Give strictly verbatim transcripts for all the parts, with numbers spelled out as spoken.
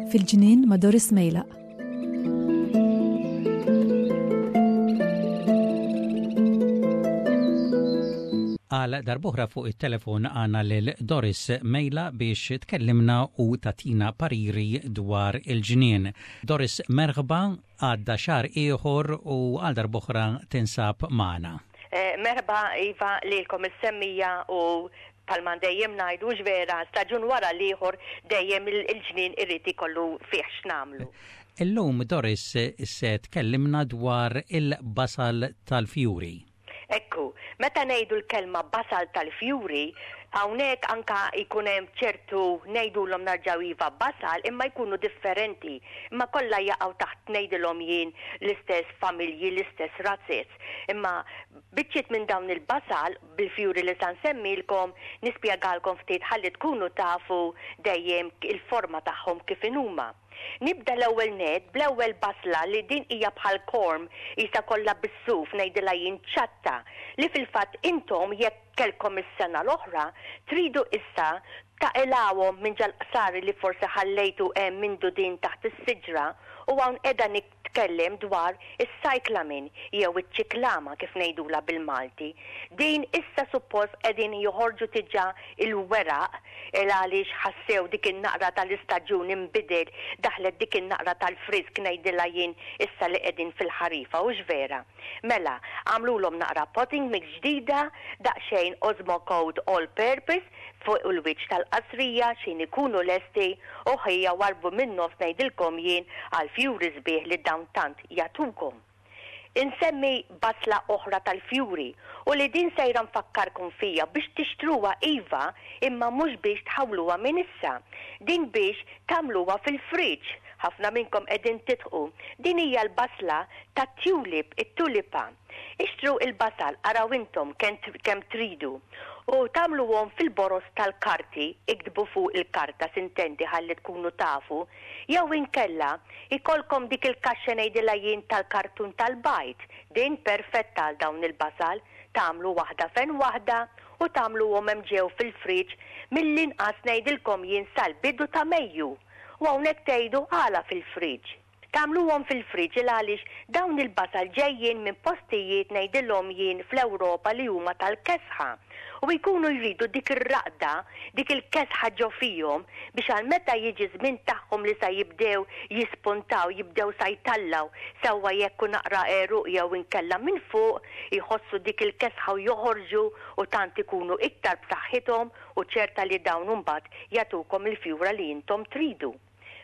Fil-ġnien ma' Doris Mejlaq. Għal darb'oħra fuq it-telefon għandna lil Doris Mejla biex tkellimna u tagħtina pariri dwar il-ġnien. Doris, merħba, għadda xahar ieħor u għal darb'oħra tinsab magħna. Eh, merħba Iva lilkom is-semmiegħa u bħalma dejjem ngħidu vera staġun wara l-ieħor dejjem il-ġnien irid ikollu fih x'nagħmlu. Illum, Doris, se tkellimna dwar il-basal tal-fjuri. Ekku, meta ngħidu l-kelma basal tal-fjuri, hawnhekk anka jkun hemm ċertu ngħidulhom narġaw iva basal imma jkunu differenti. Imma kollha jaqgħu taħt ngħidilhom jien l-istess familji, l-istess razzez. Imma biċċiet minn dawn il-basal bil-fjuri li sa nsemmilkom nispjegalkom ftit ħalli tkunu tafu dejjem il-forma tagħhom kif inhuma. Nibda l-ewwel net bl-ewwel basla li din hija bħal corm isa kollha bis-suf ngħidilha jien ċatta li fil-fatt intom jekk kellkom is-sena l-oħra tridu issa taqilgħuhom minn ġal-qsari li forsi ħallejtu hemm minn dudin taħt is-siġra u hawn qiegħda nitkellem dwar is-cyclamen jew iċ-ċiklama kif ngħidula bil-Malti. Din issa suppost qegħdin joħorġu diġà il-weraq il għaliex ħassew dik in-naqra tal-istaġun inbidel, daħlet dik in-naqra tal-frisk ngħidilha jien issa li qegħdin fil-ħarifa, hux vera? Mela, għamlulhom naqra potting mix ġdida, daqsxejn Osmocote all purpose fuq il-wiċċ tal-qasrija x'ħin ikunu lesti u ħija warbu minn nofs ngħidilkom jien għal fjuri sbieħ li dawn tant jagħtukom. Insemmi basla oħra tal-fjuri u li din sejra nfakkarkom fija biex tixtruha iva imma mhux biex tħawluha minn issa. Din biex tagħmluha fil-friġġ. Ħafna minnkom qegħdin tidħqu. Din hija l-basla tat-tulip, it-tulipa. Ixtru il-basal, araw intom kemm tridu. U tagħmluhom fil-boros tal-karti, iktbu fuq il-karta sintendi ħalli tkunu tafu, jew inkella ikolkom dik il-kaxxa ngħidilha jien tal-kartun tal-bajd. Din perfetta għal dawn il-basal, tagħmlu waħda fejn waħda u tagħmluhom hemm ġew fil-friġġ mill-inqas ngħidilkom jien sal-bidu ta' Mejju. U hawnhekk tgħidu għala fil-friġġ. Tagħmluhom fil-friġġ il għaliex dawn il-basal ġejjin minn postijiet ngħidilhom jien fl-Ewropa li huma tal-kesħa. U jkunu jridu dik ir-raqda, dik il-kesħa ġo fihom biex għal meta jiġi żmien tagħhom li sa jibdew jispuntaw, jibdew sa jtallaw, sewwa jekk hu naqra għeruq jew inkella minn fuq, jħossu dik il-kesħa u joħorġu u tant ikunu iktar b'saħħithom u ċerta li dawn imbagħad jagħtukom il-fjura li intom tridu.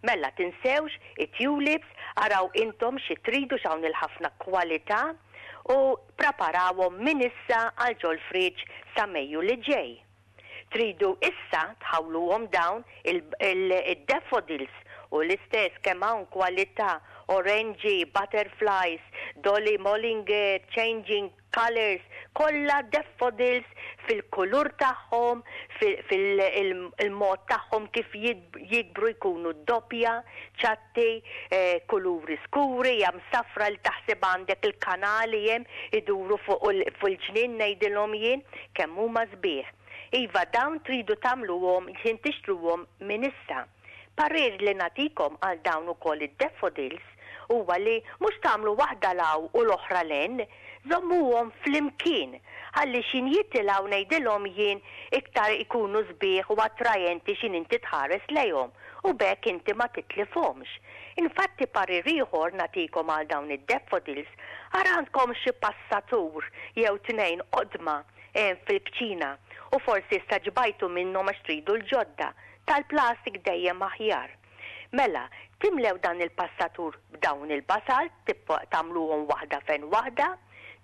Mela tinsewx it-tulips, araw intom xi tridu x'hawn il-ħafna kwalità u preparawhom minn issa għal ġol-friġġ sa Mejju li ġej. Tridu issa tħawluhom dawn il-daffodils u l-istess kemm hawn kwalità orange, butterflies, Dolly Mollinger, changing colors, kollha daffodils fil-kulur tagħhom, fil-mod tagħhom kif jikbru jkunu doppja, ċatti, eh, kuluri skuri, jam safra li taħseb għandek il-kanali hemm iduru fuq il-ġnien ngħidilhom jien kemm huma sbieħ. Iva dawn tridu tagħmluhom ħin tixtruhom minn issa. Parir li nagħtikom għal dawn ukoll id-daffodils huwa li mhux tagħmlu waħda law u l-oħra len, żommuhom flimkien ħalli x'ħin jitilgħu ngħidilhom jien iktar ikunu sbieħ u attrajenti x'ħin inti tħares lejhom u b'hekk inti ma titlifhomx. Infatti parir ieħor nagħtikom għal dawn id-daffodils, ara għandkom xi passatur jew tnejn qodma hemm fil-kċina u forsi issa ġbajtu minnhom għax tridu l-ġodda. Tal-plastik dejjem aħjar. Mela, timlew dan il-passatur b'dawn il-basal, tagħmluhom waħda fejn waħda,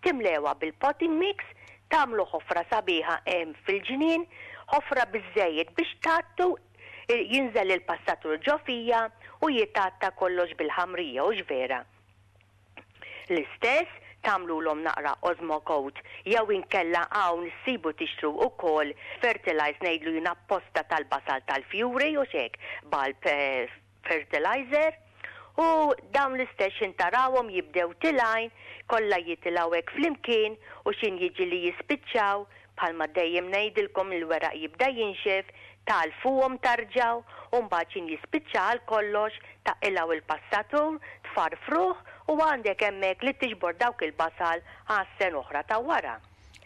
timlewha bil-potting mix, tagħmlu ħofra sabiħa hemm fil-ġnien, ħofra biżżejjed biex tgħattu, jinżel il-passatur ġo fija u jitgħatta kollox bil-ħamrija, hux vera? L-istess tagħmlulhom naqra Osmocote jew inkella hawn issibu tixtru wkoll fertilizer ngħidlu jien apposta tal-basal tal-fjuri u xek bulb, eh, fertilizer U dawn l-istess tarawhom jibdew tilgħin, kollha jitilgħu hekk flimkien u xin jiġi li jispiċċaw, bħalma dejjem ngħidilkom il-weraq jibda jinxef, tagħlfuhom terġgħu, u mbagħad xin jispiċċa għal kollox taqilgħu il-passatur, tfarfruh u għandek hemmhekk li tiġbor dawk il-basal għas-sena oħra ta' wara.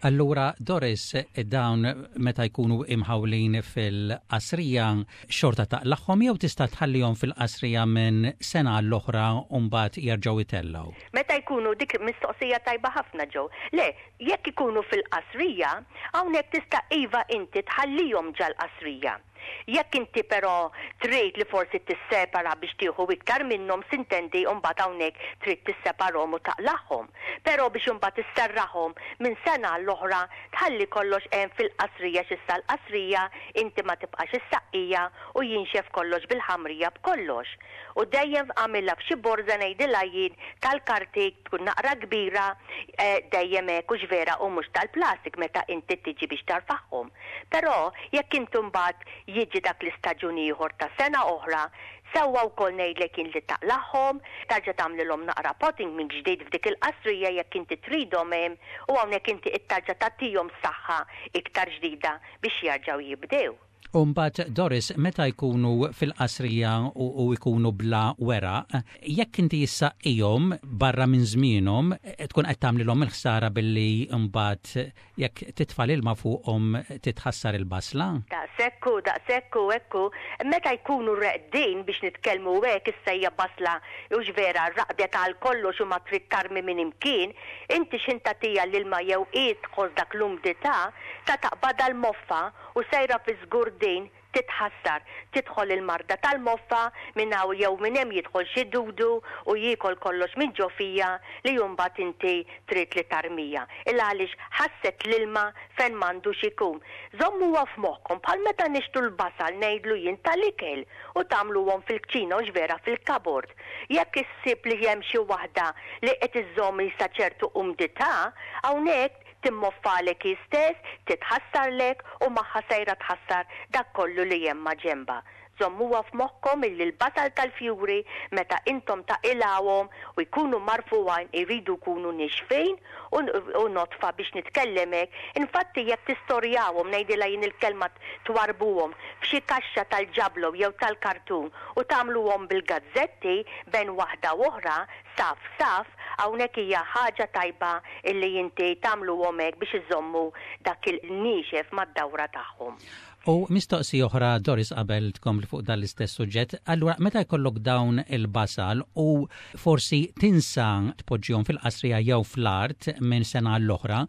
Allura, Doris, dawn meta jkunu imħawlin fil-qasrija xorta taqlagħhom jew tista' tħallihom fil-qasrija minn sena l-oħra u mbagħad jerġgħu jtellgħu? Meta jkunu dik mistoqsija tajba ħafna ġew. Le, jekk ikunu fil-qasrija, hawnhekk tista' iva inti tħallihom ġal-qasrija. Jekk inti però trid li forsi tissepara biex tieħu iktar minnhom s'intendi mbagħad hawnhekk trid tisseparhom u taqlagħhom. Però biex imbagħad isserraħhom minn sena l-oħra tħalli kollox hemm fil-qasrija x'issa l-qasrija inti ma tibqax issaqqija u jinxef kollox bil-ħamrija b'kollox. U dejjem għamilha f'xi borża ngħidilha jien tal-karti tkun naqra kbira eh, dejjem hekk hux vera u mhux tal-plastik meta inti tiġi biex tarfagħhom. Però jekk inti mbagħad jiġi dak l-istaġun ieħor ta' sena oħra, sewwa wkoll ngħidlek jien li taqlagħhom, tarġa' tagħmlilhom naqra potting minn ġdid f'dik il-qasrija jekk inti tridhom hemm u hawnhekk inti tarġa' tagħtihom saħħa iktar ġdida biex jerġgħu jibdew. U mbagħad Doris, meta jkunu fil-qasrija u, u jkunu bla weraq, jekk inti issaqqihom barra minn żmienhom, tkun qed tagħmlilhom il-ħsara billi mbagħad jekk titfa' l-ilma fuqhom titħassar il-basla? Daqshekk hu, daqshekk hu, ekku. Meta jkunu reqdin biex nitkellmu hekk issa hija basla hux vera raqdet għal kollox u ma trid tarmi minn imkien, inti x'ħin tagħtiha l-ilma jew hi tħoss dak l-umdità, ta' taqbadha l-moffa u sejra fi żgur din titħassar, tidħol il-marda tal-moffa minn hawn jew minn hemm jidħol xi dudu u jiekol kollox minn ġo fiha li mbagħad inti trid li tarmija. Illa għaliex ħasset l-ilma fejn m'għandux ikun. Żommuha f'moħħkom bħal meta nixtru l-basal ngħidlu jien tal-ikel u tagħmluhom fil-kċina u vera fil-cupboard. Jekk issib li hemm xi waħda li qed iżżomm sa ċertu umdità, hawnhekk timmoffalek hi stess, titħassarlek u magħha sejra tħassar dak kollu li hemm ma' ġenba. Żommuha f'moħħkom illi l-basal tal-fjuri meta intom taqilgħuhom u jkunu marfuwajn iridu jkunu nixfin u nodfa biex nitkellem hekk. Infatti jekk tistorjawhom ngħidilha jien il-kelma twarbuhom f'xi kaxxa tal-ġablo jew tal-kartun u tagħmluhom bil-gazzetti bejn waħda u oħra saf saf, hawnhekk hija ħaġa tajba illi inti tagħmluhom hekk biex iżommu dak il-niexef mad-dawra tagħhom. U mistoqsija oħra Doris qabel tkompli fuq dan l-istess suġġett, allura meta jkollok dawn il-basal u forsi tinsa tpoġġihom fil-qasrija jew fl-art minn sena l-oħra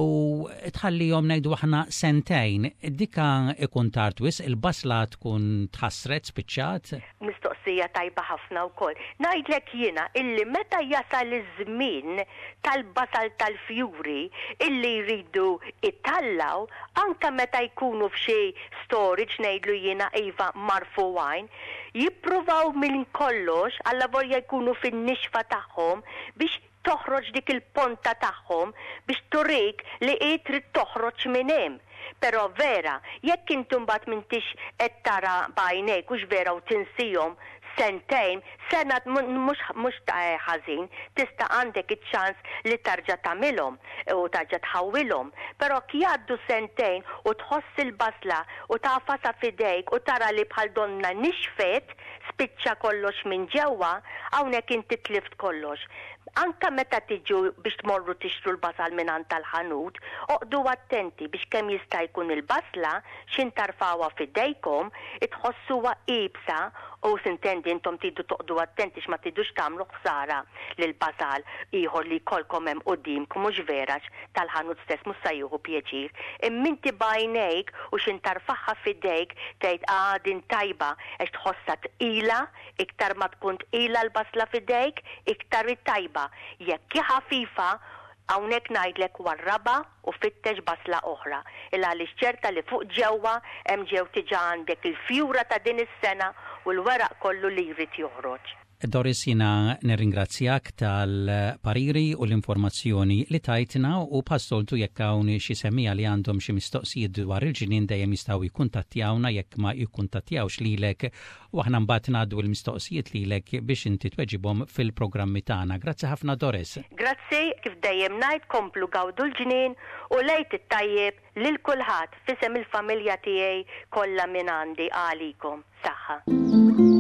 u tħallihom ngħidu aħna sentejn, dika ikun tard wisq, il-basla tkun tħassret spiċċat? Mistoqsija tajba ħafna wkoll. Ngħidlek jiena illi meta jasal iż-żmien tal-basal tal-fjuri illi jridu itellgħu, anka meta jkunu f'xi storage ngħidlu jiena iva marfuwajn, jippruvaw minn kollox allavolja jkunu fin-nixfa tagħhom biex toħroġ dik il-ponta tagħhom biex turik li hi trid toħroġ minn hemm. Però vera, jekk inti mbagħad m'intix qed tara b'għajnejk hux vera u tinsihom sentejn, sena mhux mhux ta' ħażin, tista' għandek iċ-ċans li tarġa' tagħmilhom u tarġa' tħawwilhom. Però jgħaddu sentejn u tħoss il-basla u tagħfasha f'idejk u tara li bħal donna nixfet, spiċċa kollox minn ġewwa, hawnhekk inti tlift kollox. Anka meta tiġu biex tmorru tixtru l-basal minn tal-ħanut, oqogħdu attenti biex kemm jista' jkun il-basla x'ħin tarfgħuha f'idejkom, itħossuha iebsa u s'intendi intom tridu toqogħdu attenti x'ma tridux tagħmlu ħsara lil basal ieħor li jkollkom hemm quddiemkom mhux vera tal-ħanut stess mhux se jieħu pjaċir. Imma inti b'għajnejk u x'ħin tarfagħha f'idejk tgħid ah din tajba għax tħossha tqila, iktar ma tkun tqila l-basla f'idejk, iktar tajba. Jekk hi ħafifa, hawnhekk ngħidlek warrabha u fittex basla oħra. Illa għaliex ċerta li fuq ġewwa hemm ġew diġà għandek il-fjura ta' din is-sena u l-weraq kollu li jrid joħroġ. Doris, jiena nirringrazzjak tal-pariri u l-informazzjoni li tajtna u bħas-soltu jekk hawn xi semmiegħa li għandhom xi mistoqsijiet dwar il-ġnien dejjem jistgħu jikkuntattjawna jekk ma jikkuntattjawx lilek u aħna mbagħad ngħaddu l-mistoqsijiet lilek biex inti tweġibhom fil-programmi tagħna. Grazzi ħafna, Doris. Grazzi, kif dejjem ngħid, komplu gawdu l-ġnien u l-Għid it-tajjeb lil kulħadd f'isem il-familja tiegħi kollha minn għandi għalikom. Saħħa.